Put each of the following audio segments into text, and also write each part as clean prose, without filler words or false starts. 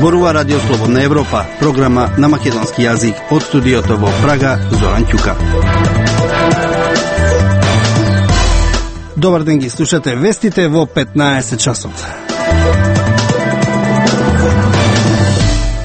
Зборува Радио Слободна Европа, програма на македонски јазик од студиото во Прага, Зоран Ќука. Добар ден, ги слушате вестите во 15 часот.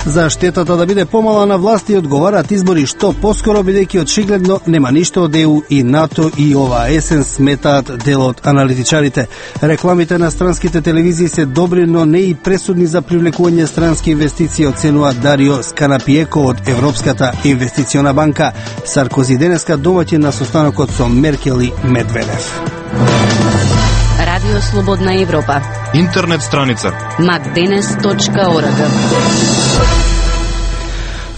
За штетата да биде помала на власти одговараат избори што поскоро, бидејќи очигледно нема ништо од ЕУ и НАТО и оваа есен, сметаат дел од аналитичарите. Рекламите на странските телевизии се добри, но не и пресудни за привлекување странски инвестиции, оценува Дарио Сканапиеко од Европската инвестициона банка. Саркози денеска домаќин на состанокот со Меркел и Медведев. Радио Слободна Европа. Интернет страница macdenes.org.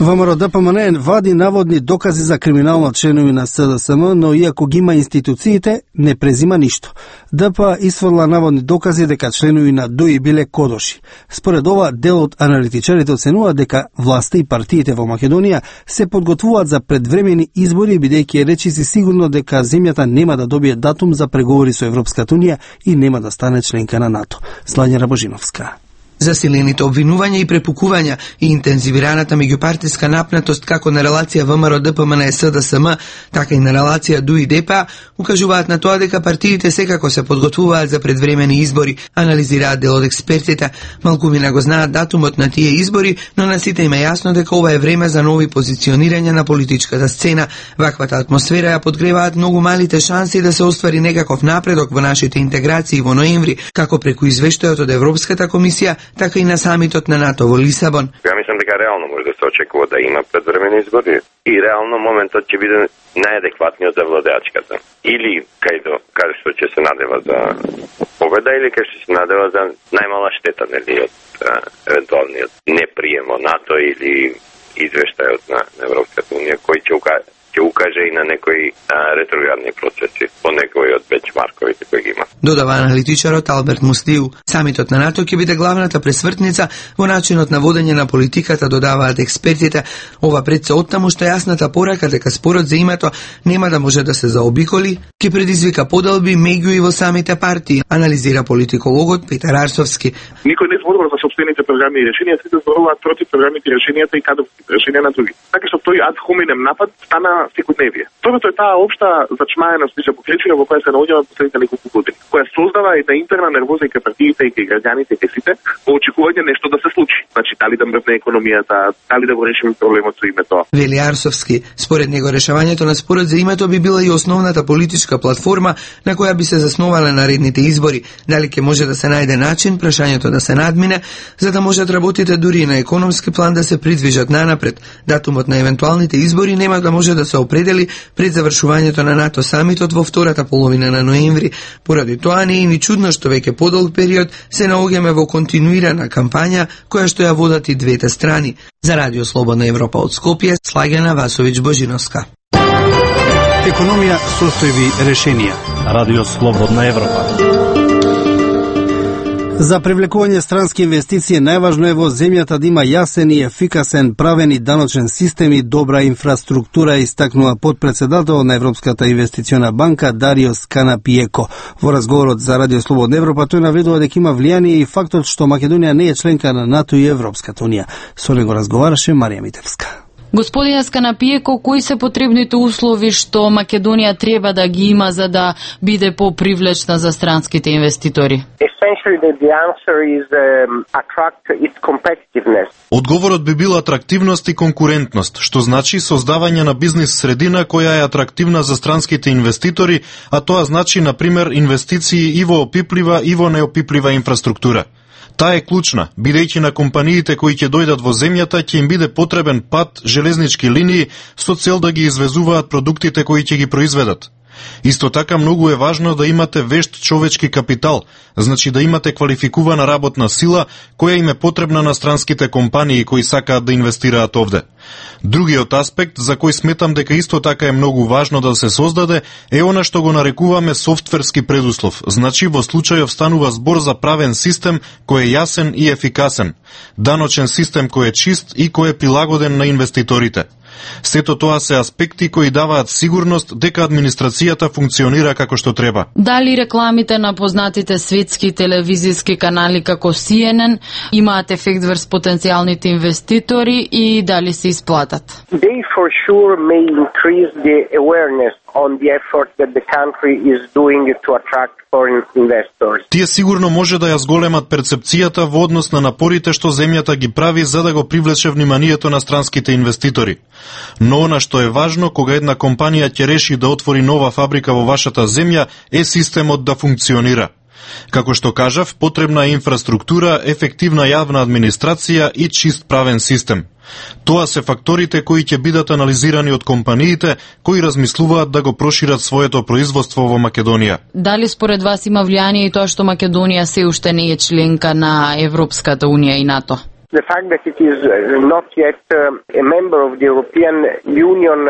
ВМРО ДПМН вади наводни докази за криминално членови на СДСМ, но иако ги има институциите, не презима ништо. ДП исфрла наводни докази дека членови на ДОИ биле кодоши. Според ова, дел од аналитичарите оценува дека власта и партиите во Македонија се подготвуваат за предвремени избори, бидејќи е речиси сигурно дека земјата нема да добие датум за преговори со Европската унија и нема да стане членка на НАТО. Слања Рабожиновска. Засилените обвинувања и препукувања и интензивираната меѓупартиска напнатост како на релација ВМРО ДПМН и СДСМ, така и на релација ДУИ ДПА укажуваат на тоа дека партиите секако се подготвуваат за предвремени избори, анализираат дел од експертите. Малкумина го знаат датумот на тие избори, но на сите им е јасно дека ова е време за нови позиционирања на политичката сцена. Ваквата атмосфера ја подгреваат многу малите шанси да се оствари некаков напредок во нашите интеграции во ноември, како преку извештајот од Европската комисија, така и на самитот на НАТО во Лисабон. Ја мислам дека реално може да се очекува да има предвремени избори и реално моментот ќе биде најадекватниот за владеачката. Или кај што ќе се надева за победа, или кај што се надева за најмала штета, нели, од евентуалниот неприем од НАТО или извештајот на Европската унија, кој ќе укаже и на некои ретроградни процеси по некои од бенчмарковите кои ги има. Додава аналитичарот Алберт Мустиу. Самитот на НАТО ќе биде главната пресвртница во начинот на водење на политиката, додаваат експертите. Ова пред се оттаму што јасната порака дека спорот за името нема да може да се заобиколи, ќе предизвика поделби меѓу и во самите партии, анализира политикологот Петар Арсовски. Никој не зборува за сопствените програми и решенија, сите зборуваат против програмите и решенијата и кадровските решенија на други. Така што тој ад хоминем напад стана секојдневие. Второто е таа општа зачмаеност и запоклечија во која се наоѓаме последните неколку години, која создава една интерна нервоза и кај партиите и кај граѓаните и кај сите во очекување нешто да се случи. Значи, дали да мрвне економијата, дали да го решиме проблемот со името. Вели Арсовски, според него решавањето на спорот за името би била и основната политичка платформа на која би се засновале наредните избори. Дали ќе може да се најде начин прашањето да се надмине, за да можат работите дури и на економски план да се придвижат нанапред. Датумот на евентуалните избори нема да може да се определи пред завршувањето на НАТО самитот во втората половина на ноември. Поради тоа не е ни чудно што веќе подолг период се наоѓаме во континуирана кампања која што ја водат и двете страни. За Радио Слободна Европа од Скопје, Слагена Васовиќ Божиновска. Економија, состојби, решенија. Радио Слободна Европа. За привлекување странски инвестиции најважно е во земјата да има јасен и ефикасен правен и даночен систем и добра инфраструктура, истакнува подпредседател на Европската инвестициона банка Дарио Сканапиеко. Во разговорот за Радио Слободна Европа тој наведува дека има влијание и фактот што Македонија не е членка на НАТО и Европската унија. Со него разговараше Марија Митевска. Господине Сканапиеко, кои се потребните услови што Македонија треба да ги има за да биде попривлечна за странските инвеститори? Одговорот би бил атрактивност и конкурентност, што значи создавање на бизнис средина која е атрактивна за странските инвеститори, а тоа значи, например, инвестиции и во опиплива и во неопиплива инфраструктура. Таа е клучна, бидејќи на компаниите кои ќе дојдат во земјата ќе им биде потребен пат, железнички линии со цел да ги извезуваат продуктите кои ќе ги произведат. Исто така многу е важно да имате вешт човечки капитал, значи да имате квалификувана работна сила која им е потребна на странските компании кои сакаат да инвестираат овде. Другиот аспект, за кој сметам дека исто така е многу важно да се создаде, е она што го нарекуваме софтверски предуслов. Значи, во случајов станува збор за правен систем кој е јасен и ефикасен, даночен систем кој е чист и кој е прилагоден на инвеститорите. Сето тоа се аспекти кои даваат сигурност дека администрацијата функционира како што треба. Дали рекламите на познатите светски телевизиски канали како CNN имаат ефект врз потенцијалните инвеститори и дали се исплатат? They for sure may increase the awareness on the effort that the country is doing to attract foreign investors. Тие сигурно може да ја зголемат перцепцијата во однос на напорите што земјата ги прави за да го привлече вниманието на странските инвеститори. Но она што е важно кога една компанија ќе реши да отвори нова фабрика во вашата земја е системот да функционира. Како што кажав, потребна е инфраструктура, ефективна јавна администрација и чист правен систем. Тоа се факторите кои ќе бидат анализирани од компаниите кои размислуваат да го прошират своето производство во Македонија. Дали според вас има влијание и тоа што Македонија се уште не е членка на Европската унија и НАТО? The fact that it is not yet a member of the European Union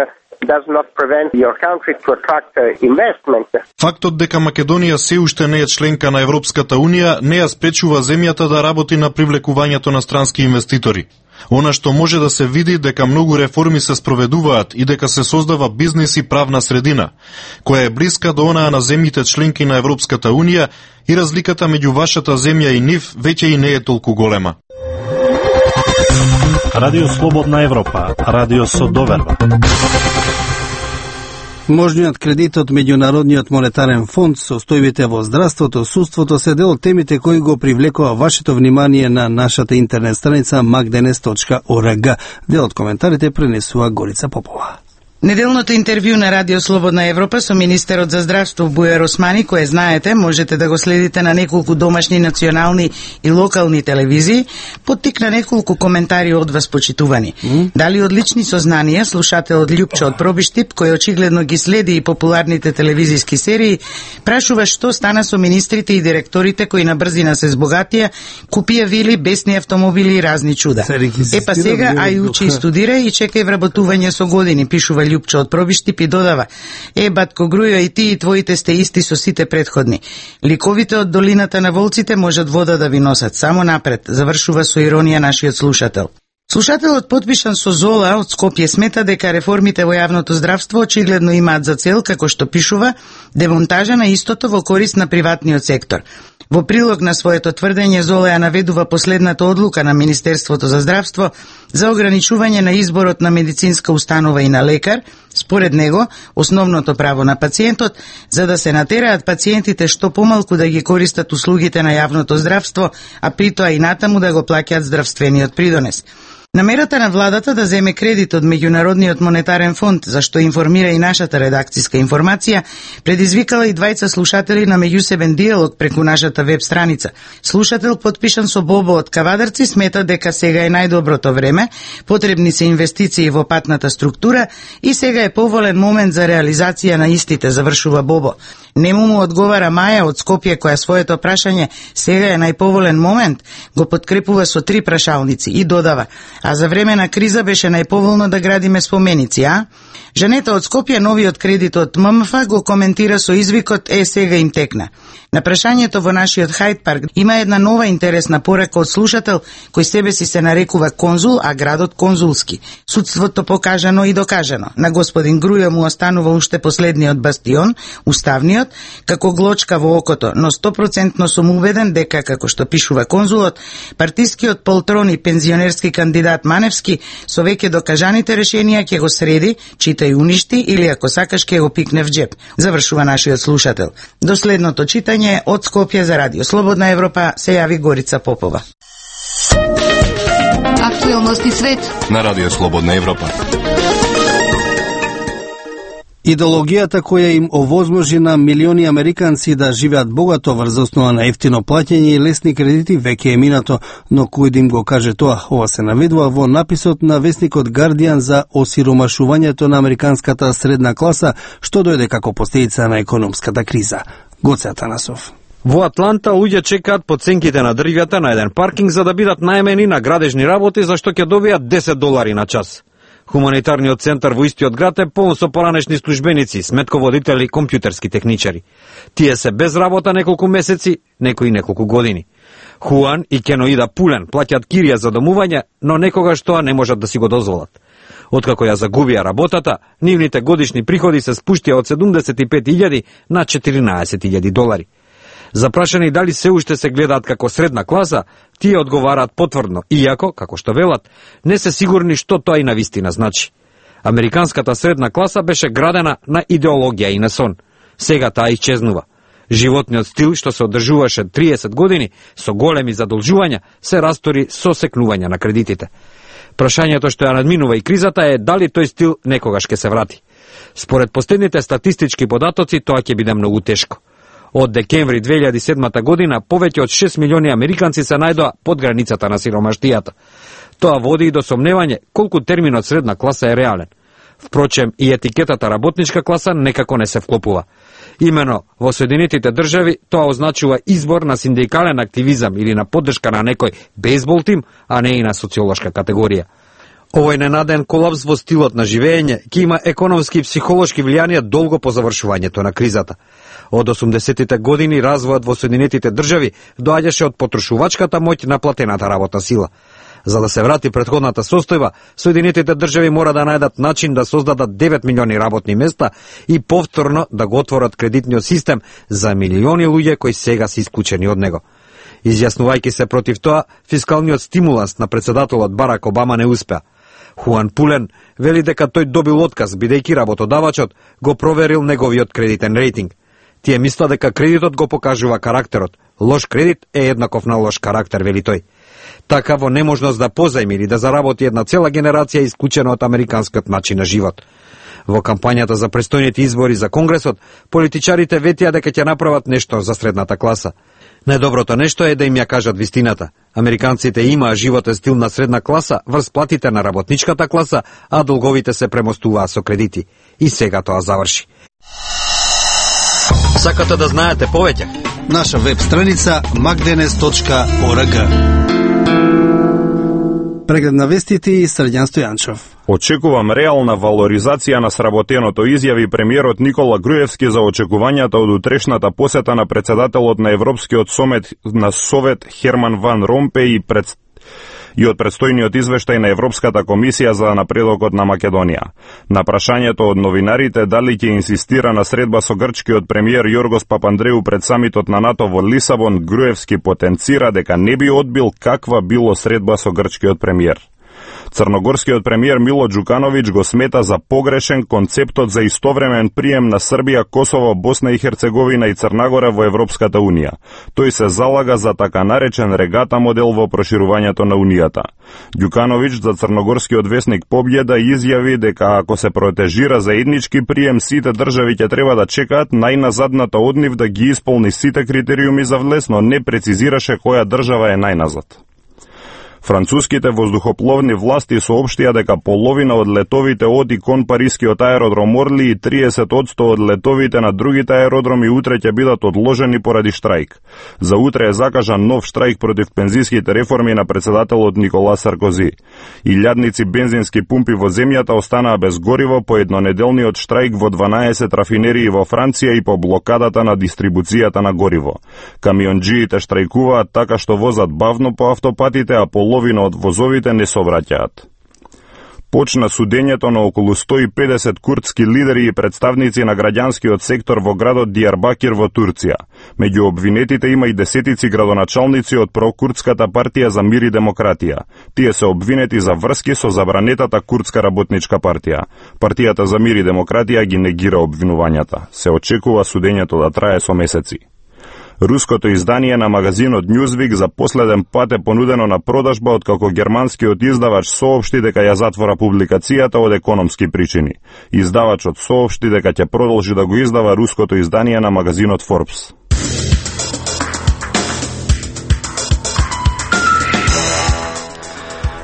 does not prevent your country to attract investment. Фактот дека Македонија се уште не е членка на Европската унија не ја спречува земјата да работи на привлекувањето на странски инвеститори. Она што може да се види дека многу реформи се спроведуваат и дека се создава бизнис и правна средина, која е блиска до онаа на земјите членки на Европската унија и разликата меѓу вашата земја и нив веќе и не е толку голема. Радио Слободна Европа, радио со доверба. Можниот кредит од Меѓународниот монетарен фонд, состојбите во здравството, судството се дел од темите кои го привлекува вашето внимание на нашата интернет страница magdenes.org. Дел од коментарите пренесува Горица Попова. Неделното интервју на Радио Слободна Европа со министерот за здравство Бујар Османи, кое знаете, можете да го следите на неколку домашни, национални и локални телевизии, поттикна неколку коментари од вас почитувани. Дали од лични сознанија, слушателот Љупчо од Пробиштип, кој очигледно ги следи и популарните телевизиски серии, прашува што стана со министрите и директорите кои на брзина се збогатија, купија вили, бесни автомобили и разни чуда. Епа сега, ај учи и студира и чекај вработување со години, пишува Љупчо од Пробиштип и додава: батко Грујо, и ти и твоите сте исти со сите претходни. Ликовите од долината на волците можат вода да ви носат само напред, завршува со иронија нашиот слушател. Слушателот подпишан со Зола од Скопје смета дека реформите во јавното здравство очигледно имаат за цел, како што пишува, демонтажа на истото во корист на приватниот сектор. Во прилог на своето тврдење, Зола ја наведува последната одлука на Министерството за здравство за ограничување на изборот на медицинска установа и на лекар, според него, основното право на пациентот, за да се натераат пациентите што помалку да ги користат услугите на јавното здравство, а притоа и натаму да го плаќаат здравствениот придонес. Намерата на владата да земе кредит од Меѓународниот монетарен фонд, за што информира и нашата редакциска информација, предизвикала и двајца слушатели на меѓусебен диалог преку нашата веб страница. Слушател подпишан со Бобо од Кавадарци смета дека сега е најдоброто време, потребни се инвестиции во патната структура и сега е поволен момент за реализација на истите, завршува Бобо. Нему му одговара Маја од Скопје, која своето прашање сега е најповолен момент, го подкрепува со 3 прашалници и додава: а за време на криза беше најповолно да градиме споменици, а? Женета од Скопје новиот кредит од ММФ го коментира со извикот: сега им текна. На прашањето во нашиот Хајд парк има една нова интересна порака од слушател кој себе си се нарекува конзул, а градот конзулски. Судството покажано и докажано. На господин Грујо му останува уште последниот бастион, уставниот, како глочка во окото, но 100% сум убеден дека, како што пишува конзулот, партискиот полтрон и пензионерски кандидат Маневски со веќе докажаните решенија ќе го среди, читај уништи или ако сакаш ќе го пикне в джеб. Завршува нашиот слушател. До следното читање од Скопје за Радио Слободна Европа се јави Горица Попова. Актуелности свет на Радио Слободна Европа. Идеологијата која им овозможи на милиони американци да живеат богато врз основа на ефтино плаќање и лесни кредити веќе е минато, но кој да им го каже тоа? Ова се наведува во написот на весникот Guardian за осиромашувањето на американската средна класа, што дојде како последица на економската криза. Гоце Атанасов. Во Атланта луѓе чекаат по ценките на дрвјата на еден паркинг за да бидат најмени на градежни работи, за што ќе добијат $10 на час. Хуманитарниот центар во истиот град е полн со поранешни службеници, сметководители, компјутерски техничари. Тие се без работа неколку месеци, некои неколку години. Хуан и Кеноида Пулен плаќаат кирија за домување, но некогаш тоа не можат да си го дозволат. Откако ја загубија работата, нивните годишни приходи се спуштија од 75.000 на 14.000 долари. Запрашани дали се уште се гледаат како средна класа, тие одговараат потврдно, иако, како што велат, не се сигурни што тоа и навистина значи. Американската средна класа беше градена на идеологија и на сон. Сега таа исчезнува. Животниот стил што се одржуваше 30 години со големи задолжувања се растори со секнување на кредитите. Прашањето што ја надминува и кризата е дали тој стил некогаш ќе се врати. Според последните статистички податоци тоа ќе биде многу тешко. Од декември 2007 година повеќе од 6 милиони американци се најдоа под границата на сиромаштијата. Тоа води и до сомневање колку терминот средна класа е реален. Впрочем, и етикетата работничка класа некако не се вклопува. Имено во Соединетите држави тоа означува избор на синдикален активизам или на поддршка на некој бейсбол тим, а не и на социолошка категорија. Овој ненаден колапс во стилот на живење ќе има економски и психолошки влијанија долго по завршувањето на кризата. Од 80-тите години развојот во Соединетите држави доаѓаше од потрошувачката моќ на платената работна сила. За да се врати претходната состојба, Соединетите држави мора да најдат начин да создадат 9 милиони работни места и повторно да го отворат кредитниот систем за милиони луѓе кои сега се исклучени од него. Изјаснувајќи се против тоа, фискалниот стимуланс на председателот Барак Обама не успеа. Хуан Пулен вели дека тој добил отказ бидејќи работодавачот го проверил неговиот кредитен рейтинг. Тие мисла дека кредитот го покажува карактерот. Лош кредит е еднаков на лош карактер, вели тој. Така во неможност да позајми или да заработи една цела генерација исклучена од американскиот начин на живот. Во кампањата за престојните избори за Конгресот, политичарите ветија дека ќе направат нешто за средната класа. Најдоброто нешто е да им ја кажат вистината. Американците имаа животен стил на средна класа врз платите на работничката класа, а долговите се премостуваа со кредити. И сега тоа заврши. Сакате да знаете повеќе? Наша веб страница magdenes.org. Преглед на вестите и Срđan Стојанчов. Очекувам реална валоризација на сработеното, изјави премиерот Никола Груевски за очекувањата од утрешната посета на председателот на Европскиот совет Херман Ван Ромпеј и од предстојниот извештај на Европската комисија за напредокот на Македонија. На прашањето од новинарите дали ќе инсистира на средба со грчкиот премиер Јоргос Папандреу пред самитот на НАТО во Лисабон, Груевски потенцира дека не би одбил каква било средба со грчкиот премиер. Црногорскиот премиер Мило Џукановиќ го смета за погрешен концептот за истовремен прием на Србија, Косово, Босна и Херцеговина и Црнагора во Европската Унија. Тој се залага за така наречен регата модел во проширувањето на Унијата. Ѓукановиќ за црногорскиот весник Побједа изјави дека ако се протежира заеднички прием, сите држави ќе треба да чекаат најназадната од нив да ги исполни сите критериуми за влез, но не прецизираше која држава е најназад. Француските воздухопловни власти соопштија дека половина од летовите од и кон парискиот аеродром Орли и 30% од летовите на другите аеродроми утре ќе бидат одложени поради штрајк. За утре е закажан нов штрајк против пензиските реформи на председателот Никола Саркози. Илјадници бензински пумпи во земјата останаа без гориво по еднонеделниот штрајк во 12 рафинерии во Франција и по блокадата на дистрибуцијата на гориво. Камионџиите штрајкуваат така што возат бавно по автопатите, а половина од возовите не сообраќаат. Почна судењето на околу 150 курдски лидери и представници на граѓанскиот сектор во градот Дијарбакир во Турција. Меѓу обвинетите има и десетици градоначалници од прокурдската партија за мир и демократија. Тие се обвинети за врски со забранетата курдска работничка партија. Партијата за мир и демократија ги негира обвинувањата. Се очекува судењето да трае со месеци. Руското издание на магазинот Newsweek за последен пат е понудено на продажба откако германскиот издавач соопшти дека ја затвора публикацијата од економски причини. Издавачот соопшти дека ќе продолжи да го издава руското издание на магазинот Forbes.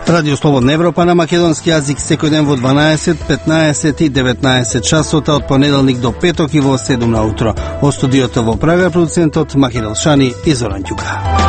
Радио Слободна Европа на македонски јазик секој ден во 12, 15 и 19 часота од понеделник до петок и во 7 на утро. Од студиото во Прага продуцентот Махир Елшани и Зоран Ѓука.